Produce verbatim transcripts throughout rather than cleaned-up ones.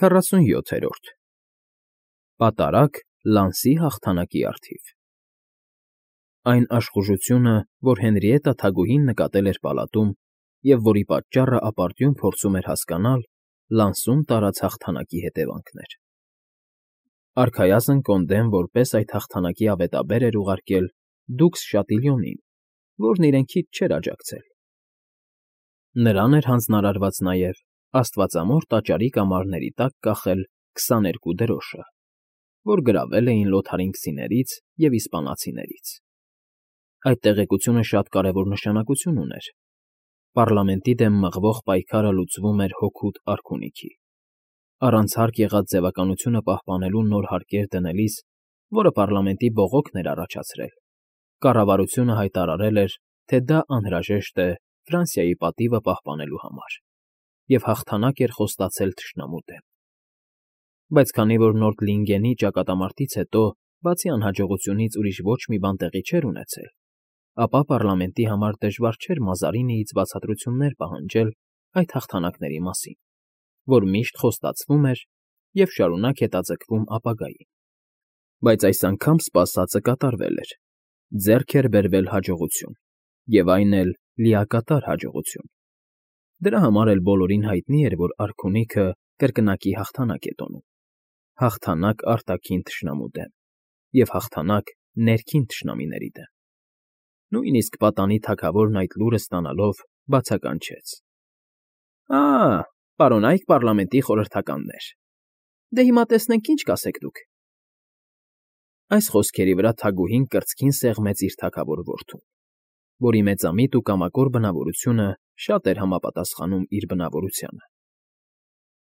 Քառասունյոթերորդ Պատարագ Լանսի հաղթանակի առթիվ Այն աշխուժությունը, որ Հենրիետտա թագուհին նկատել էր պալատում և որի պատճառը ապարդյուն փորձում էր հասկանալ, Լանսում տարած հաղթանակի հետևանքն էր։ Արքայազն Կոնդեն որպես այդ հաղթանակի ավետաբեր էր ուղարկել դուքս Շատիլյոնին, որն իրեն քիչ չէր աջակցել։ Նրան էր հանձնարարված նաև աստվածամոր տաճարի կամարների տակ կախել քսաներկու դրոշը, որ գրավել էին լոթարինգցիներից և իսպանացիներից։ Այդ տեղեկությունը շատ կարևոր նշանակություն ուներ։ Պառլամենտի դեմ մղվող պայքարը լուծվում էր հօգուտ արքունիքի։ Առանց հարկ եղած ձևականությունը պահպանելու նոր հարկեր դնելիս, որը պառլամենտի բողոքն էր առաջացրել, կառավարությունը հայտարարել էր, թե դա անհրաժեշտ է Ֆրանսիայի պատիվը պահպանելու համար, և հաղթանակ էր խոստացել թշնամու դեմ։ Բայց քանի որ Նորդլինգենի ճակատամարտից հետո, բացի անհաջողությունից ուրիշ ոչ մի բան տեղի չէր ունեցել, ապա պառլամենտի համար դժվար չէր Մազարինիից բացատրություններ պահանջել այդ հաղթանակների մասին, որ միշտ խոստացվում էր և շարունակ հետաձգվում ապագային։ Բայց այս անգամ սպասածը կատարվել էր, ձեռք էր բերվել հաջողություն, և այն էլ լիակատար հաջողություն։ Դրա համար էլ բոլորին հայտնի էր, որ արքունիքը կրկնակի հաղթանակ է տոնում, հաղթանակ արտաքին թշնամու դեմ և հաղթանակ ներքին թշնամիների դեմ։ Նույնիսկ պատանի թագավորն այդ լուրը ստանալով բացականչեց. «Ա՜, պարոնայք պառլամենտի խորհրդականներ, դե հիմա տեսնենք ինչ կասեք դուք»։ Այս խոսքերի վրա թագուհին կրծքին սեղմեց իր թագավոր որդուն, որի մեծամիտ ու կամակոր բնավորությունը շատ էր համապատասխանում իր բնավորությանը։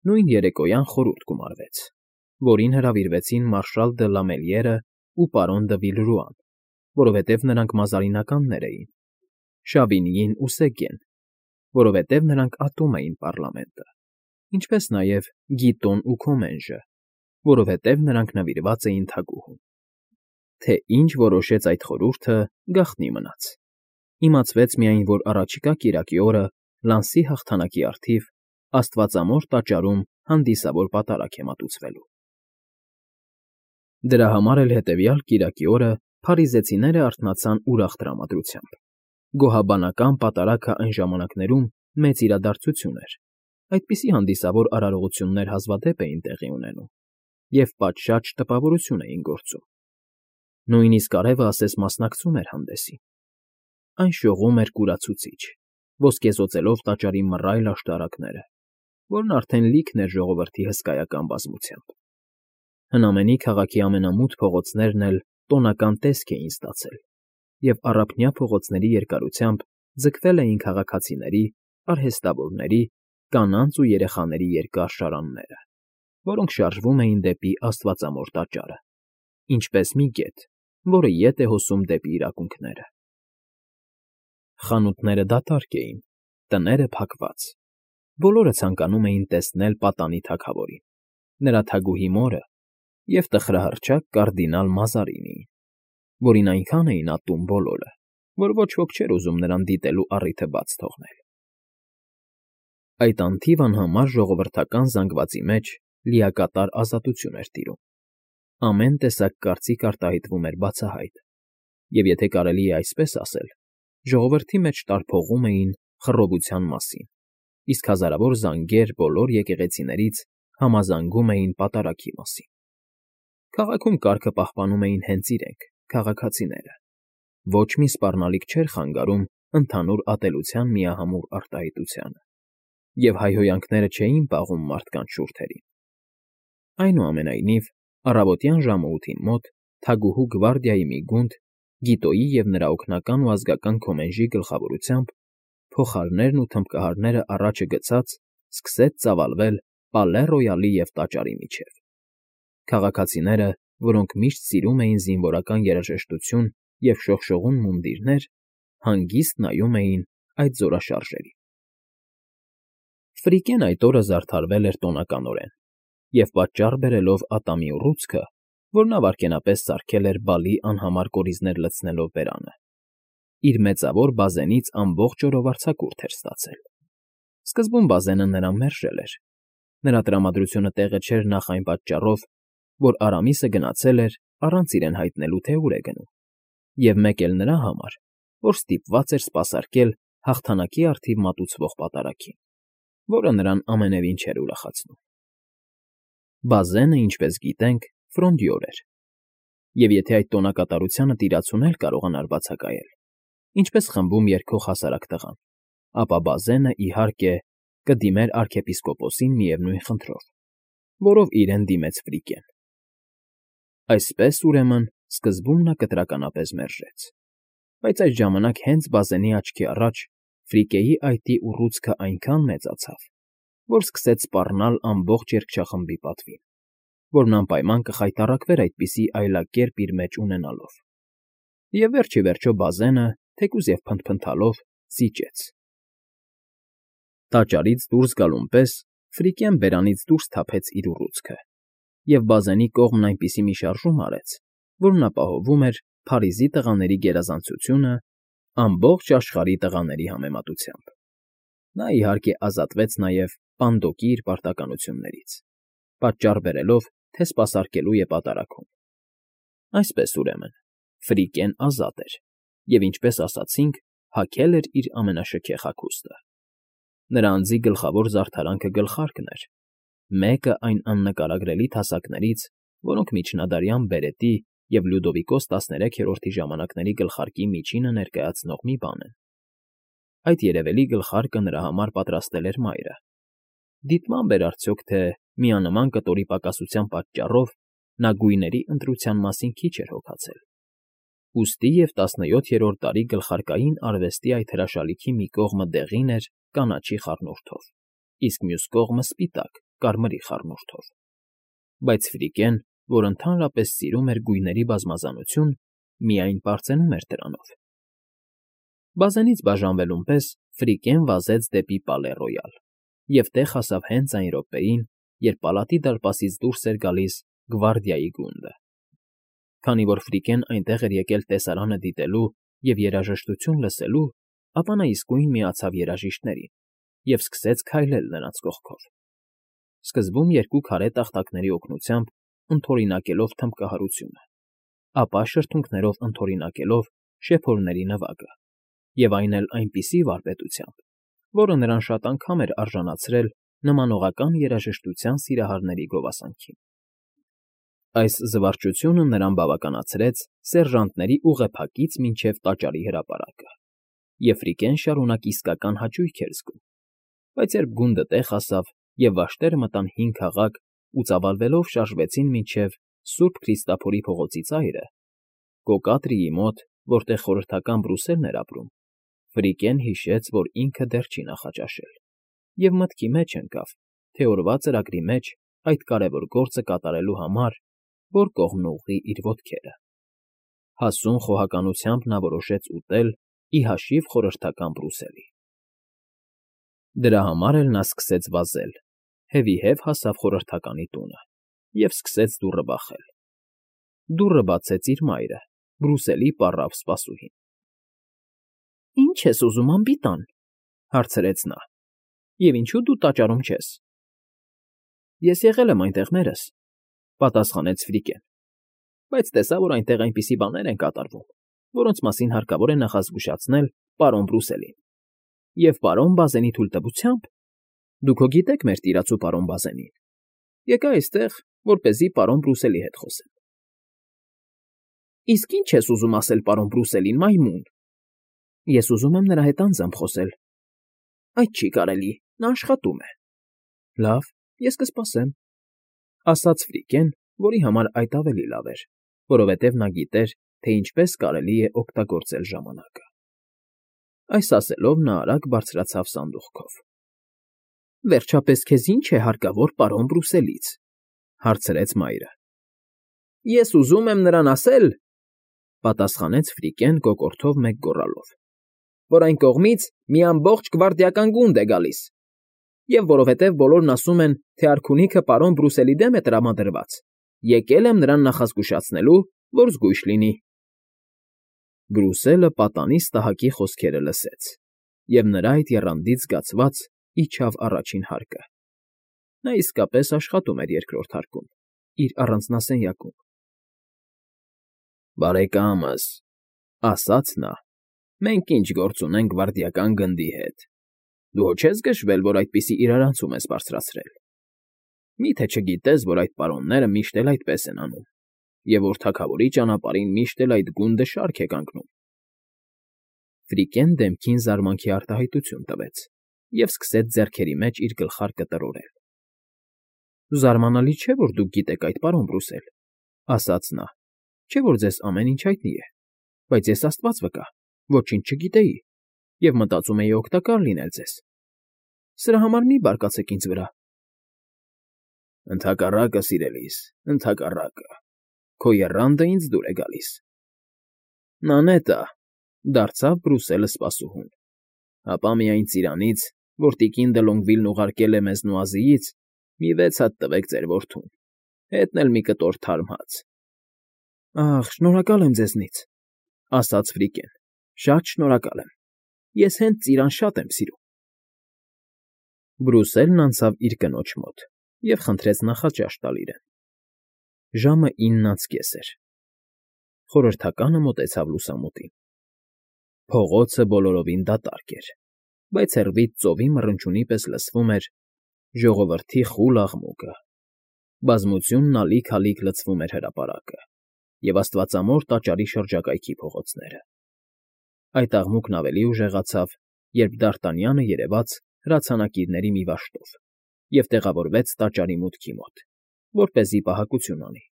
Նույն երեկոյան խորհուրդ գումարվեց, որին հրավիրվեցին մարշալ դը Լամելիերն ու պարոն դը Վիլրուան, որովհետև նրանք մազարինականներ էին, Շավինյին ու Սեգեն, որովհետև նրանք ատում էին պառլամենտը, ինչպես նաև Գիտոն ու Քոմենժը, որովհետև նրանք նվիրված էին թագուհուն։ Թե ինչ որոշեց այդ խորհուրդը, գաղտնի մնաց։ Իմացվեց միայն, որ առաջիկա կիրակի օրը Լանսի հաղթանակի առթիվ Աստվածամոր տաճարում հանդիսավոր պատարագ է մատուցվելու։ Դրա համար էլ հետևյալ կիրակի օրը փարիզեցիները արթնացան ուրախ տրամադրությամբ։ Գոհաբանական պատարագը այն ժամանակներում մեծ իրադարձություն էր, այդպիսի հանդիսավոր արարողություններ հազվադեպ էին տեղի ունենում և պատշաճ տպավորություն էին գործում։ Նույնիսկ արևը ասես մասնակցում էր հանդեսին։ Այն շողում էր կուրացուցիչ, ոսկեզօծելով տաճարի մռայլ աշտարակները, որն արդեն լիքն էր ժողովրդի հսկայական բազմությամբ։ Հնամենի քաղաքի ամենամութ փողոցներն էլ տոնական տեսք էին ստացել, և առափնյա փողոցների երկարությամբ ձգվել էին քաղաքացիների, արհեստավորների, կանանց ու երեխաների երկար շարանները, որոնք շարժվում էին դեպի Աստվածամոր տաճարը, ինչպես մի գետ, որը ետ է հոսում դեպի իրավունքները։ Խանութները դատարկ էին, տները փակված։ Բոլորը ցանկանում էին տեսնել պատանի թագավորին, նրա թագուհի մորը և տխրահռչակ կարդինալ Մազարինիին, որին այնքան էին ատում բոլորը, որ ոչ ոք չէր ուզում նրան դիտելու առիթը բաց թողնել։ Այդ անթիվ անհամար ժողովրդական զանգվածի մեջ լիակատար ազատություն էր տիրում։ Ամեն տեսակ կարծիք արտահայտվում էր բացահայտ, և եթե կարելի է այսպես ասել, ժողովրդի մեջ տարփողում էին խռովության մասին, իսկ հազարավոր զանգեր բոլոր եկեղեցիներից համազանգում էին պատարագի մասին։ Քաղաքում կարգը պահպանում էին հենց իրենք, քաղաքացիները։ Ոչ մի սպառնալիք չէր խանգարում ընդհանուր ատելության միահամուռ արտահայտությանը, և հայհոյանքները չէին պաղում մարդկանց շուրթերին։ Այնուամենայնիվ, առավոտյան ժամը ութին մոտ թագուհու գվարդիայի մի գունդ, Գիտոյի և նրա օգնական ու ազգական Քոմենժի գլխավորությամբ, փողահարներն ու թմբկահարները առաջը գցած, սկսեց ծավալվել Պալե Ռոյալի և տաճարի միջև։ Քաղաքացիները, որոնք միշտ սիրում էին զինվորական երաժշտություն և շողշողուն մունդիրներ, հանգիստ նայում էին այդ զորաշարժերին։ Ֆրիկեն այդ օրը զարդարվել էր տոնականորեն և, պատճառ բերելով ատամի ուռուցքը, որ նա վայրկենապես սարքել էր բալի անհամար կորիզներ լցնելով բերանը, իր մեծավոր բազենից ամբողջ օրով արձակուրդ էր ստացել։ Սկզբում բազենը նրան մերժել էր, Նրա տրամադրությունը տեղը չէր նախ այն պատճառով, որ Արամիսը գնացել էր առանց իրեն հայտնելու, թե ուր է գնում, և մեկ էլ նրա համար, որ ստիպված էր սպասարկել հաղթանակի առթիվ մատուցվող պատարագին, որը նրան ամենևին չէր ուրախացնում։ Բազենը, ինչպես գիտենք, ֆրոնդյոր էր, և եթե այդ տոնակատարությանը տիրացուն էլ կարողանար բացակայել, ինչպես խմբում երգող հասարակ տղան, ապա Բազենը, իհարկե, կդիմեր արքեպիսկոպոսին միևնույն խնդրով, որով իրեն դիմեց Ֆրիկեն։ Այսպես, ուրեմն, սկզբում նա կտրականապես մերժեց, բայց այդ ժամանակ հենց Բազենի աչքի առաջ Ֆրիկեի այտի ուռուցքը այնքան մեծացավ, որ սկսեց սպառնալ ամբողջ երգչախմբի պատվին, որն անպայման կխայտառակվեր այդպիսի այլակերպ իր մեջ ունենալով։ Եվ վերջ ի վերջո Բազենը, թեկուզ և փնթփնթալով, զիջեց։ Տաճարից դուրս գալուն պես Ֆրիկեն բերանից դուրս թափեց իր ուռուցքը, և Բազենի կողմն այնպիսի մի շարժում արեց, որն ապահովում էր Փարիզի տղաների գերազանցությունը ամբողջ աշխարհի տղաների համեմատությամբ։ Նա, իհարկե, ազատվեց նաև Պանդոկի իր պարտականություններից, պատճառ բերելով, թե սպասարկելու է պատարագում։ Այսպես, ուրեմն, Ֆրիկեն ազատ էր և, ինչպես ասացինք, հագել էր իր ամենաշքեղ հագուստը։ Նրա անձի գլխավոր զարդարանքը գլխարկն էր, մեկը այն աննկարագրելի թասակներից, որոնք միջնադարյան բերետի և Լյուդովիկոս տասներեքերորդի ժամանակների գլխարկի միջինը ներկայացնող մի բան են։ Այդ երևելի գլխարկը նրա համար պատրաստել էր մայրը։ Դիտմամբ էր արդյոք, թե միանման կտորի պակասության պատճառով նա գույների ընտրության մասին քիչ էր հոգացել։ Ուստի և տասնյոթերորդ դարի գլխարկային արվեստի այդ հրաշալիքի մի կողմը դեղին էր կանաչի խառնուրդով, իսկ մյուս կողմը սպիտակ, կարմրի խառնուրդով։ Բայց Ֆրիկեն, որ ընդհանրապես սիրում էր գույների բազմազանություն, միայն պարծենում էր դրանով։ Բազենից բաժանվելուն պես Ֆրիկեն վազեց դեպի Պալե Ռոյալ և տեղ հասավ հենց այն րոպեին, երբ պալատի դարպասից դուրս էր գալիս գվարդիայի գունդը։ Քանի որ Ֆրիկեն այնտեղ էր եկել տեսարանը դիտելու և երաժշտություն լսելու, ապա նա իսկույն միացավ երաժիշտներին և սկսեց քայլել նրանց կողքով, սկզբում երկու քարե տախտակների օգնությամբ ընդօրինակելով թմբկահարությունը, ապա շրթունքներով ընդօրինակելով շեփորների նվագը, և այն էլ այնպիսի վարպետությամբ, որը նրան շատ անգամ էր արժանացրել նմանողական երաժշտության սիրահարների գովասանքին։ Այս զվարճությունը նրան բավականացրեց սերժանտների ուղեփակից մինչև տաճարի հրապարակը, և Ֆրիկեն շարունակ իսկական հաճույք էր զգում, բայց երբ գունդը տեղ հասավ և վաշտերը մտան հին քաղաք ու ծավալվելով շարժվեցին մինչև Սուրբ Քրիստափորի փողոցի ծայրը, Կոկատրիի մոտ, որտեղ խորհրդական Բրուսելն էր ապրում, Ֆրիկեն հիշեց, որ ինքը դեռ չի նախաճաշել, և մտքի մեջ ընկավ, թե օրվա ծրագրի մեջ այդ կարևոր գործը կատարելու համար որ կողմն ուղղի իր ոտքերը։ Հասուն խոհականությամբ նա որոշեց ուտել ի հաշիվ խորհրդական Բրուսելի։ Դրա համար էլ նա սկսեց վազել, հևիհև հասավ խորհրդականի տունը և սկսեց դուռը բախել։ Դուռը բացեց իր մայրը, Բրուսելի պառավ սպասուհին։ ֊ Ի՞նչ ես ուզում, անբիտան,֊ հարցրեց նա,֊ և ինչո՞ւ դու տաճարում չես։ ֊ Ես եղել եմ այնտեղ մերս,֊ պատասխանեց Ֆրիկեն,֊ բայց տեսա, որ այնտեղ այնպիսի բաներ են կատարվում, որոնց մասին հարկավոր է նախազգուշացնել պարոն Բրուսելին, և պարոն Բազենի թույլտվությամբ (դուք հո գիտեք մեր տիրացու պարոն Բազենին) եկա այստեղ, որպեսզի պարոն Բրուսելի հետ խոսեմ։ ֊ Իսկ ի՞նչ ես ուզում ասել պարոն Բրուսելին, մայմուն։ ֊ Ես ուզում եմ նրա հետ անձամբ խոսել։ ֊ Այդ չի կարելի, նա աշխատում է։ ֊ Լավ, ես կսպասեմ,֊ ասաց Ֆրիկեն, որի համար այդ ավելի լավ էր, որովհետև նա գիտեր, թե ինչպես կարելի է օգտագործել ժամանակը։ Այս ասելով նա արագ բարձրացավ սանդուղքով։ ֊ Վերջապես քեզ ի՞նչ է հարկավոր պարոն Բրուսելից,֊ հարցրեց մայրը։ ֊ Ես ուզում եմ նրան ասել,֊ պատասխանեց Ֆրիկեն կոկորդով մեկ գոռալով,֊ որ այն կողմից մի ամբողջ գվարդիական գունդ է գալիս, և որովհետև բոլորն ասում են, թե արքունիքը պարոն Բրուսելի դեմ է տրամադրված, եկել եմ նրան նախազգուշացնելու, որ զգույշ լինի։ Բրուսելը պատանի ստահակի խոսքերը լսեց, և նրա այդ եռանդից զգացված իջավ առաջին հարկը։ Նա իսկապես աշխատում էր երկրորդ հարկում, իր առանձնասենյակում։ ֊ Բարեկա՛մս,֊ ասաց նա,֊ մենք ինչ գործ ունենք վայրդյական գնդի հետ, դու հո չես գժվել, որ այդպիսի իրարանցում ես բարձրացրել… Մի՞թե չգիտես, որ այդ պարոնները միշտ էլ այդպես են անում, և որ թագավորի ճանապարհին միշտ էլ այդ գունդը շարք է կանգնում… Ֆրիկեն դեմքին զարմանքի արտահայտություն տվեց և սկսեց ձեռքերի մեջ իր գլխարկը տրորել։ ֊ Զարմանալի չէ, որ դուք գիտեք այդ, պարոն Բրուսել,֊ ասաց նա,֊ չէ՞ որ ձեզ ամեն ինչ հայտնի է, բայց ես աստված վկա, ոչինչ չգիտեի և մտածում էի օգտակար լինել ձեզ… Սրա համար մի՛ բարկացեք ինձ վրա… ֊ Ընդհակառակը, սիրելիս, ընդհակառակը, քո եռանդը ինձ դուր է գալիս… ֊ Նա նետա,֊ դարձավ Բրուսելը սպասուհուն,֊ հապա միայն ծիրանից, որ տիկին Դը Լոնգվիլն ուղարկել է մեզ Նուազիից, մի վեց հատ տվեք ձեր որդուն, հետն էլ մի կտոր թարմ հաց… ֊ Ախ, շնորհակալ եմ ձեզնից,֊ ասաց Ֆրիկեն,֊ շատ շնորհակալ եմ, ես հենց ծիրան շատ եմ սիրում… Բրուսելն անցավ իր կնոջ մոտ և խնդրեց նախաճաշ տալ իրեն։ Ժամը ինն անց կես էր։ Խորհրդականը մոտեցավ լուսամուտին։ Փողոցը բոլորովին դատարկ էր, բայց հեռվից ծովի մռնչյունի պես լսվում էր ժողովրդի խուլ աղմուկը, բազմությունն ալիք֊ալիք լցվում էր հրապարակը և աստվածամոր տաճարի շրջակայքի փողոցները։ Այդ աղմուկն ավելի ուժեղացավ, երբ Դ'Արտանյանը երևաց հրացանակիրների մի վաշտով և տեղավորվեց տաճարի մուտքի մոտ, որպեսզի պահակություն անի։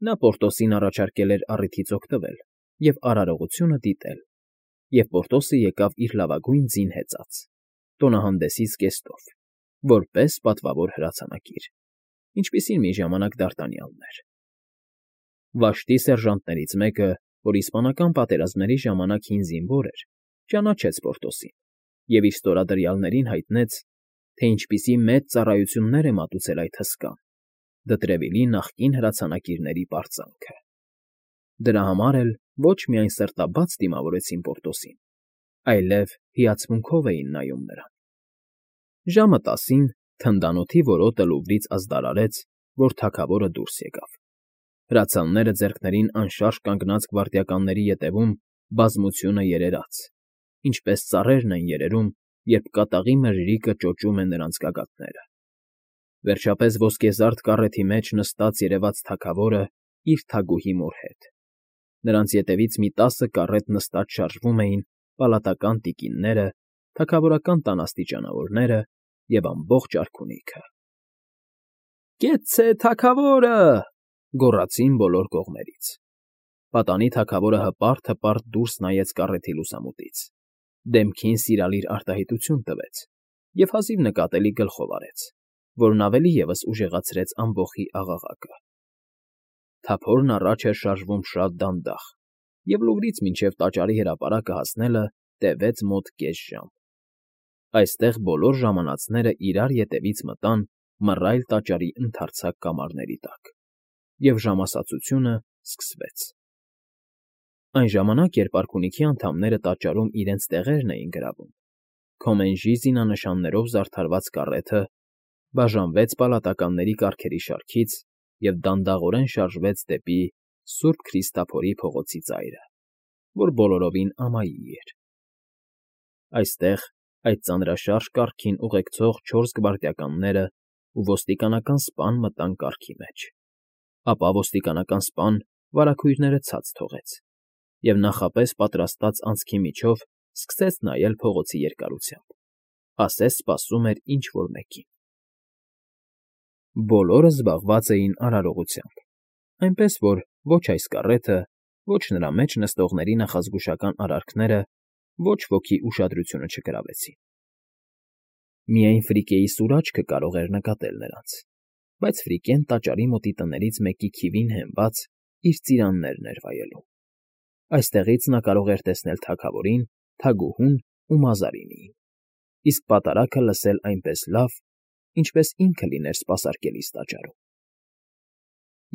Նա Պորտոսին առաջարկել էր առիթից օգտվել և արարողությունը դիտել, և Պորտոսը եկավ իր լավագույն ձին հեծած, տոնահանդեսի զգեստով, որպես պատվավոր հրացանակիր, ինչպիսին մի ժամանակ Դ'Արտանյանն էր։ Վաշտի սերժանտներից մեկը, որ իսպանական պատերազմների ժամանակ հին զինվոր էր, ճանաչեց Պորտոսին և իր ստորադրյալներին հայտնեց, թե ինչպիսի մեծ ծառայություններ է մատուցել այդ հսկան, Դտրևիլի նախկին հրացանակիրների պարծանքը։ Դրա համար էլ ոչ միայն սրտաբաց դիմավորեցին Պորտոսին, այլև հիացմունքով էին նայում նրան։ Ժամը տասին թնդանոթի որոտը Լուվրից ազդարարեց, որ թագավորը դուրս եկավ։ Հրացանները ձեռքներին անշարժ կանգնած գվարդիականների ետևում բազմությունը երերաց, ինչպես ծառերն են երերում, երբ կատաղի մրրիկը ճոճում է նրանց գագաթները։ Վերջապես ոսկեզարդ կառեթի մեջ նստած երևաց թագավորը իր թագուհի մոր հետ։ Նրանց ետևից մի տասը կառետ նստած շարժվում էին պալատական տիկինները, թագավորական տան աստիճանավորները և ամբողջ արքունիքը։ ֊ Կեցցե թագավորը,֊ գոռացին բոլոր կողմերից։ Պատանի թագավորը հպարտ֊հպարտ դուրս նայեց կառեթի լուսամուտից, դեմքին սիրալիր արտահայտություն տվեց և հազիվ նկատելի գլխով արեց, որն ավելի ևս ուժեղացրեց ամբոխի աղաղակը։ Թափորն առաջ էր շարժվում շատ դանդաղ, և Լուվրից մինչև տաճարի հրապարակը հասնելը տևեց մոտ կես ժամ։ Այստեղ բոլոր ժամանածները իրար ետևից մտան մռայլ տաճարի ընդարձակ կամարների տակ, և ժամասացությունը սկսվեց։ Այն ժամանակ, երբ արքունիքի անդամները տաճարում իրենց տեղերն էին գրավում, Քոմենժի զինանշաններով զարդարված կառեթը բաժանվեց պալատականների կառքերի շարքից և դանդաղորեն շարժվեց դեպի Սուրբ Քրիստափորի փողոցի ծայրը, որ բոլորովին ամայի էր։ Այստեղ այդ ծանրաշարժ կառքին ուղեկցող չորս գվարդիականներն ու ոստիկանական սպան մտան կառքի մեջ, ապա ոստիկանական սպան վարագույրները ցած թողեց և նախապես պատրաստած անցքի միջով սկսեց նայել փողոցի երկարությամբ, ասես սպասում էր ինչ֊որ մեկին։ Բոլորը զբաղված էին արարողությամբ, այնպես որ ոչ այս կառեթը, ոչ նրա մեջ նստողների նախազգուշական արարքները ոչ ոքի ուշադրությունը չգրավեցին։ Միայն Ֆրիկեի սուր աչքը կարող էր նկատել նրանց, բայց Ֆրիկեն տաճարի մոտի տներից մեկի քիվին հենված իր ծիրաններն էր վայելում։ Այստեղից նա կարող էր տեսնել թագավորին, թագուհուն ու Մազարինիին, իսկ պատարագը լսել այնպես լավ, ինչպես ինքը լիներ սպասարկելիս տաճարում։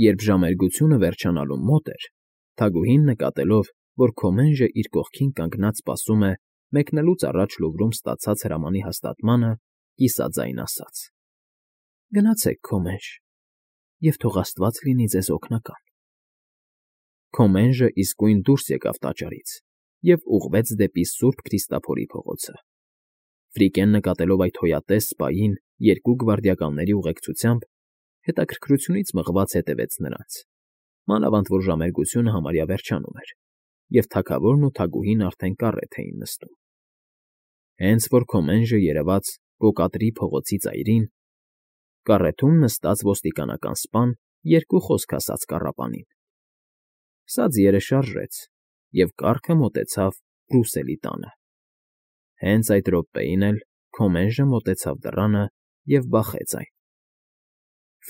Երբ ժամերգությունը վերջանալուն մոտ էր, թագուհին նկատելով, որ Քոմենժը իր կողքին կանգնած սպասում է մեկնելուց առաջ Լուվրում ստացած հրամանի հաստատմանը, կիսաձայն ասաց. Գնացեք, Քոմենժ, և թող աստված լինի ձեզ օգնական։ Քոմենժը իսկույն դուրս եկավ տաճարից և ուղղվեց դեպի Սուրբ Քրիստաֆորի փողոցը։ Ֆրիկեն նկատելով այդ հոյատես սպային երկու գվարդիականների ուղեկցությամբ, հետաքրքրությունից մղված հետևեց նրանց, մանավանդ որ ժամերգությունը համարյա վերջանում էր, և թագավորն ու թագուհին արդեն կառետ էին նստում։ Հենց որ Քոմենժը երևաց Կոկատրի փողոցի ծայրին, կառեթում նստած ոստիկանական սպան երկու խոսք ասաց կառապանին։ Սա ձիերը շարժեց, և կառքը մոտեցավ Բրուսելի տանը։ Հենց այդ րոպեին էլ Քոմենժը մոտեցավ դռանը և բախեց այն։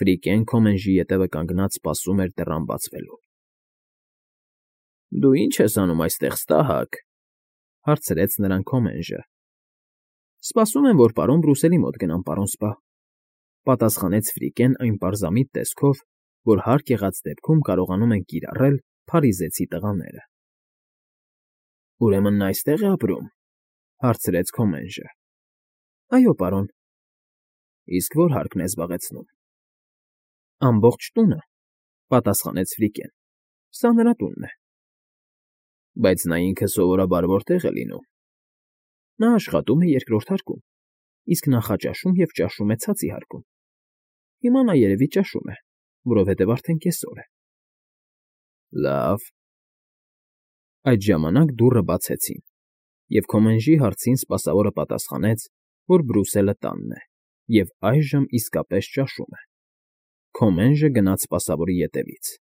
Ֆրիկեն Քոմենժի ետևը կանգնած սպասում էր դռան բացվելուն։ ֊ Դու ի՞նչ ես անում այստեղ, ստահակ,֊ հարցրեց նրան Քոմենժը։ ֊ Սպասում եմ, որ պարոն Բրուսելի մոտ գնամ, պարոն սպա,֊ պատասխանեց Ֆրիկեն այն պարզամիտ տեսքով, որ հարկ եղած դեպքում կարողանում են կիրառել փարիզեցի տղաները։ ֊ Ուրեմն նա այստե՞ղ է ապրում,֊ հարցրեց Քոմենժը։ ֊ Այո, պարոն։ ֊ Իսկ ո՞ր հարկն է զբաղեցնում։ ֊ Ամբողջ տունը,֊ պատասխանեց Ֆրիկեն,֊ սա նրա տունն է։ ֊ Բայց նա ինքը սովորաբար որտե՞ղ է լինում։ ֊ Նա աշխատում է երկրորդ հարկում, իսկ նախաճաշում և ճաշում է ցածի հարկում։ Հիմա նա երևի ճաշում է, որովհետև արդեն կեսօր է։ ֊ Լավ։ Այդ ժամանակ դուռը բացեցին, և Քոմենժի հարցին սպասավորը պատասխանեց, որ Բրուսելը տանն է և այժմ իսկապես ճաշում է։ Քոմենժը գնաց սպասավորի ետևից,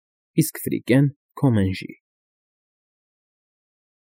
իսկ Ֆրիկեն՝ Քոմենժի։